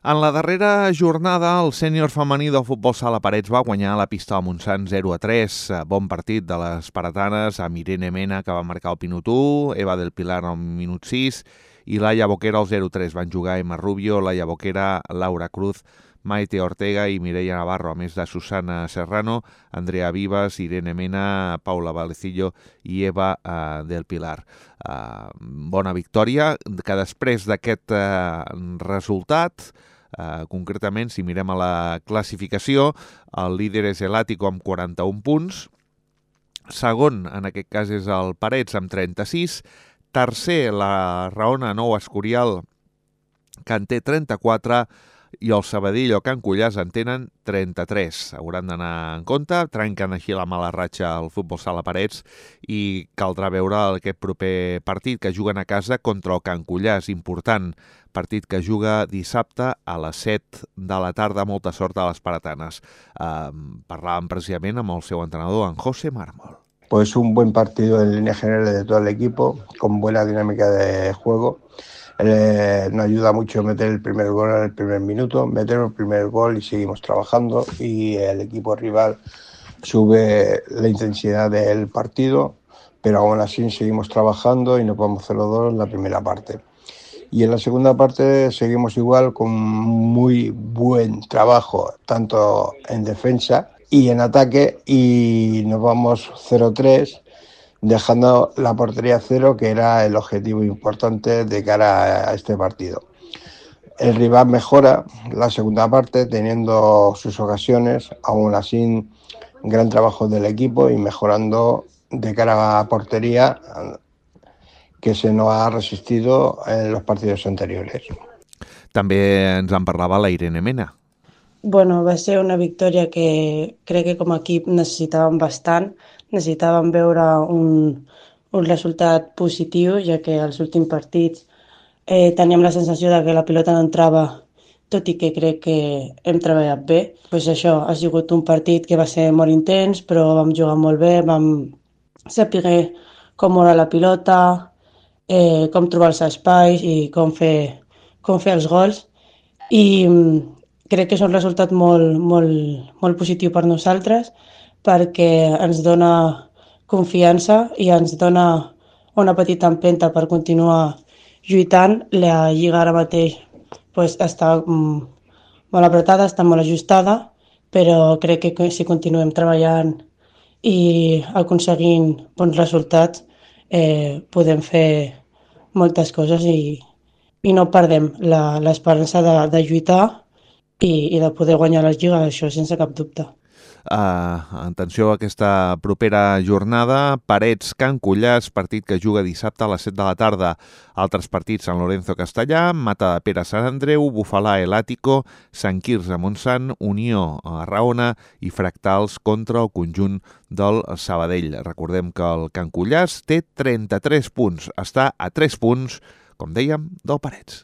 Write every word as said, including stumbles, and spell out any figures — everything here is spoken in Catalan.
En la darrera jornada, el sènior femení del futbol sala Parets va guanyar la pista del Montsant zero a tres. Bon partit de les paretanes, amb Irene Mena, que va marcar el minut u, Eva del Pilar al minut sis i Laia Boquera al zero a tres. Van jugar Emma Rubio, Laia Boquera, Laura Cruz, Maite Ortega i Mireia Navarro, a més de Susana Serrano, Andrea Vivas, Irene Mena, Paula Valecillo i Eva eh, del Pilar. Eh, bona victòria, que després d'aquest eh, resultat, eh, concretament, si mirem a la classificació, el líder és el Àtico amb quaranta-un punts, segon, en aquest cas, és el Parets amb trenta-sis, tercer, la Raona Nou Escorial, que en té trenta-quatre, i el Sabadell o Can Cullàs en tenen trenta-tres. Hauran d'anar en compte, trenquen així la mala ratxa al futbol sala Parets i caldrà veure aquest proper partit que juguen a casa contra el Can Cullàs. Important partit que juga dissabte a les set de la tarda. Molta sort a les paretanes. Eh, parlàvem precisament amb el seu entrenador, en José Mármol. Pues un buen partido en líneas generales de todo el equipo, con buena dinámica de juego. Eh, nos ayuda mucho meter el primer gol en el primer minuto, meter el primer gol y seguimos trabajando, y el equipo rival sube la intensidad del partido, pero aún así seguimos trabajando y nos vamos cero dos en la primera parte. Y en la segunda parte seguimos igual, con muy buen trabajo tanto en defensa y en ataque, y nos vamos cero tres, dejando la portería cero, que era el objetivo importante de cara a este partido. El rival mejora la segunda parte, teniendo sus ocasiones, aún así gran trabajo del equipo y mejorando de cara a portería, que se nos ha resistido en los partidos anteriores. També ens en parlava la Irene Mena. Bueno, va ser una victòria que crec que com a equip necessitàvem bastant. Necessitàvem veure un, un resultat positiu, ja que als últims partits eh, teníem la sensació de que la pilota no entrava, tot i que crec que hem treballat bé. Pues això, ha sigut un partit que va ser molt intens, però vam jugar molt bé, vam saber com moure la pilota, eh, com trobar els espais i com fer, com fer els gols. I crec que és un resultat molt, molt, molt positiu per nosaltres, perquè ens dona confiança i ens dona una petita empenta per continuar lluitant. La lliga ara mateix pues, està mm, molt apretada, està molt ajustada, però crec que si continuem treballant i aconseguint bons resultats, eh, podem fer moltes coses i, i no perdem la, l'esperança de, de lluitar i, i de poder guanyar la lliga, això sense cap dubte. Uh, atenció a aquesta propera jornada. Parets, Can Cullàs, partit que juga dissabte a les set de la tarda. Altres partits: San Lorenzo Castellà, Mata de Pere Sant Andreu, Bufalà el Àtico, Sant Quirze Montsant, Unió a Raona i Fractals contra el conjunt del Sabadell. Recordem que el Can Cullàs té trenta-tres punts, està a tres punts, com dèiem, del Parets.